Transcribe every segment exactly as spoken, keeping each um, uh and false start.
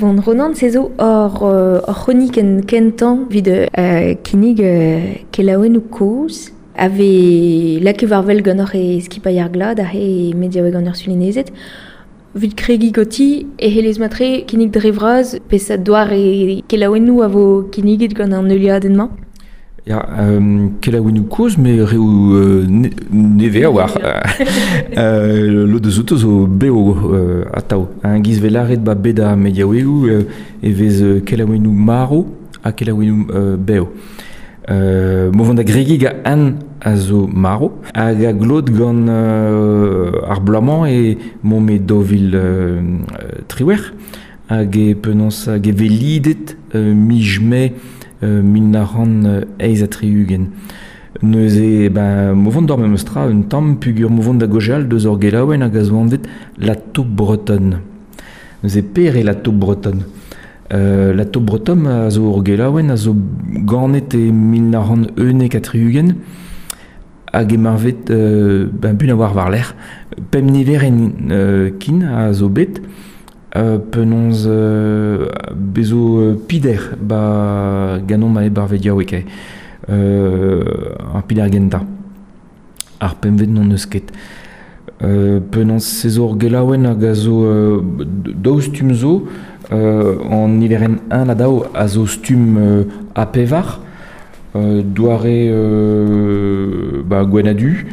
Bon, Ronan, se zo ur, ur c'hronikenn kentañ evit euh, kinnig euh, kelaouennoù kozh a vez lakaet war wel ganeoc'h e skipailh ar glad aze e mediaoueg an Ursulinezed. Evit kregiñ ganti e c'hellez matre kinnig dre vras peseurt doare kelaouennoù a vo kinniget gant an heuliadenn-mañ. Ya, euh, kelaouennoù kozh, met reoù euh, ne, nevez a-walc'h. euh, lod eus outo zo bev euh, atav. Un giz 'vez lâret ba bed ar mediaouegoù euh, e vez euh, kelaouennoù marv ha kelaouennoù euh, bev. Euh, mo vont da gregiñ gant un a zo marv hag a glot gant euh, ar bloaz-mañ e mont me daou vil euh, triwec'h hag e penaos hag e vez lidet euh, miz Mae euh, mil nav c'hant eizh ha tri-ugent. Neuze, ben, mo vont d'or memes tra un tamm pugur mo vont da gaozeal deus ur gelaouenn hag a zo anvet La Taupe Bretonne. Neuze pere La Taupe Bretonne. Euh, La Taupe Bretonne a zo ur gelaouenn a zo ganet e mil nav c'hant unnek ha tri-ugent hag e marvet euh, ben, bun a war war-lerc'h. Pemp niverenn euh, kin a zo bet euh, penaos euh, bezo euh, pider ba ganomp a bar vediaoueg eo. Euh, ar pider gentañ. Ar pempvet n'on eus ket. Euh, penaos se zo ur gelaouenn hag a zo euh, daou stumm zo, euh, an niverenn un ha daou a zo stumm euh, a pevar, euh, doare euh, ba, gwenn-ha-du,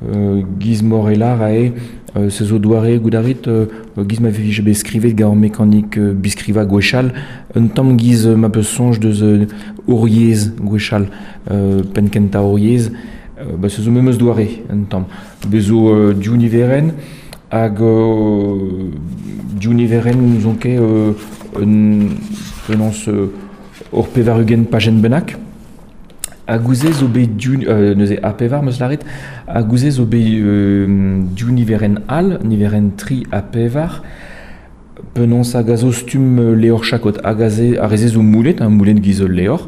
euh, giz Morellar ae, euh, se zo doare goudarit, euh, giz ma vije bet skrivet gant mekanik euh, biskriva gwechall, un tamm giz euh, ma peus soñj deus euh, Hor Yezh gwechall, euh, penn kentañ Hor Yezh, euh, ba, se zo memes doare un tamm. Bez zo euh, div niverenn hag euh, div niverenn n'ouzon ket euh, un penaos euh, ur pevar-ugent pajenn bennak. Hag gouze zo bet div, euh, neuze a pevar 'm eus lâret, hag gouze zo bet euh, div niverenn all, niverenn tri ha pevar, penaos hag a zo stumm euh, levr chakod, hag a ze, ar re-se zo moulet, hein, moulet giz ul levr,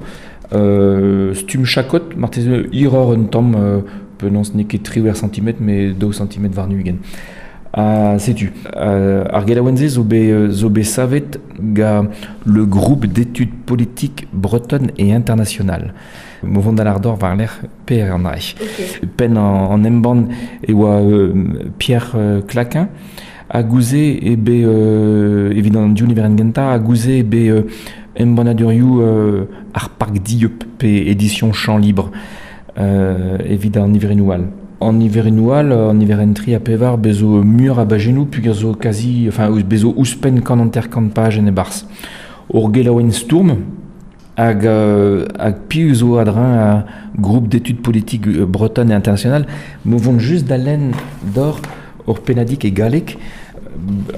euh, stumm chakod, marteze hiroc'h un tamm, euh, penaos n'eo ket triwec'h santimetr, met daou santimetr warn-ugent. Ha setu, euh, ar gelaouenn-se zo bet, zo bet savet gant le groupe d'études politiques bretonnes et internationales. Mo vont da lâr deoc'h war-lerc'h per an draig. Okay. Penn an, an embann e oa euh, Pierre euh, Claquin, ha gouze e bet, euh, evit an div niverenn gentañ, ha gouze e bet euh, embannadurioù euh, ar Parc Dieub pe édition Champ Libre euh, evit an niverennoù all. An niverennoù all, an niverenn tri ha pevar, bez zo muioc'h a bajennoù pugur zo kazi, enfin, bez zo ouzhpenn kant hanter-kant pajenn e-barzh. Ur gelaouenn stourm, hag, euh, hag piv zo a-dreñv a groupe d'études politiques euh, bretonnes et internationales, mo vont just da lenn deoc'h ur pennadig e galleg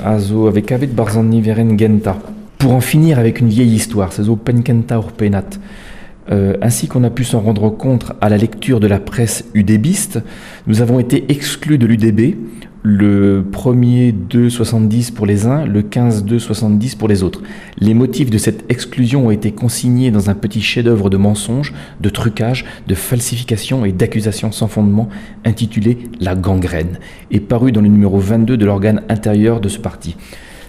a zo a vez kavet 'barzh an niverenn gentañ. Pour en finir avec une vieille histoire, se zo penn kentañ ur pennad. Euh, ainsi qu'on a pu s'en rendre compte à la lecture de la presse UDBiste, nous avons été exclus de l'U D B le premier deux soixante-dix pour les uns, le quinze deux soixante-dix pour les autres. Les motifs de cette exclusion ont été consignés dans un petit chef-d'œuvre de mensonges, de trucage, de falsification et d'accusations sans fondement intitulé La gangrène et paru dans le numéro vingt-deux de l'organe intérieur de ce parti.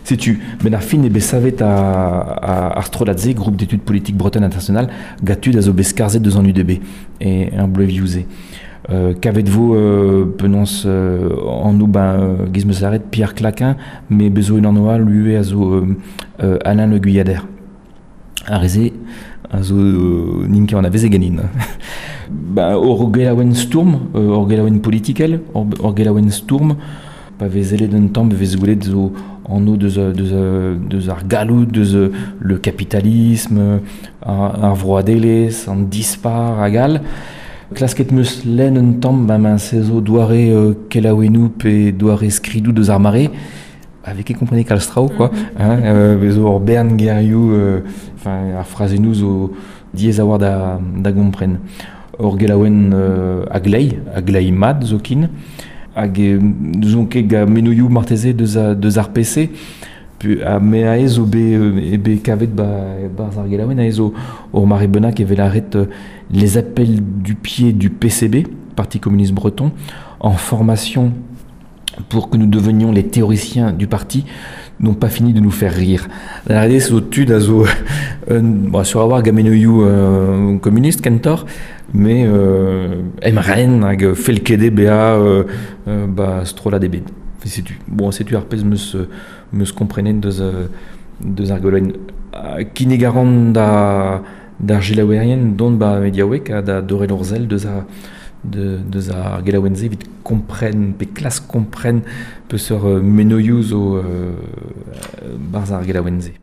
Setu, ben ar fin e bet savet a, a ar strollad-se, groupe d'études politiques bretonnes internationales, gant tud a zo bet skarzhet deus an U D B e ar bloavezhioù-se. Euh, kavet vo, euh, penaos, euh, an nou, ben, euh, giz 'm eus lâret Pierre Claquin, met bez zo unan all ivez a zo, euh, euh, Alain Le Guyader. Ar re-se a zo, euh, n'int ket anavezet ganin. Ben, ur gelaouenn stourm, euh, ur gelaouenn politikel, ur, ur gelaouenn stourm, pa vez sellet un tamm, vez gwelet zo anv deus, deus, deus ar galloud, deus le capitalisme, ar, ar vroadelezh, an dispar hag all. Klasket 'm eus lenn un tamm, ba ma se zo doare, euh, kelaouennoù pe doare skridoù deus ar mare, avec ket komprenet kalz traoù, quoi. Mm-hmm. Hein, euh, bez zo ur bern gerioù, euh, enfin, ar frazennoù zo diaes a-walc'h da, da gompren. Ur gelaouenn, euh, a glei, a glei mat zoken, hag, euh, n'ouzon ket gant menoioù marteze deus a, deus ar P C, pu, ha me aze zo bet, euh, e bet kavet ba, barzh ar gelaouenn, aze zo ur mare bennak evel arret, euh, les appels du pied du P C B, Parti communiste breton, en formation pour que nous devenions les théoriciens du parti, n'ont pas fini de nous faire rire. La R D zo tud a zo un, bon, sur avoir gamenoioù euh, communiste kentor, mais euh, emren hag felkede bea euh, euh, ba strollad ebet. Setu, bon, setu ar pezh meus, meus komprenet deus, deus ar goloenn. Kinnig a ran da, d'ar gelaouerien dont ba mediaouek ha da dorel orzel deus a de, deus ar gelaouenn-se evit kompren pe klas kompren peseurt menoioù zo euh, barzh ar gelaouenn-se.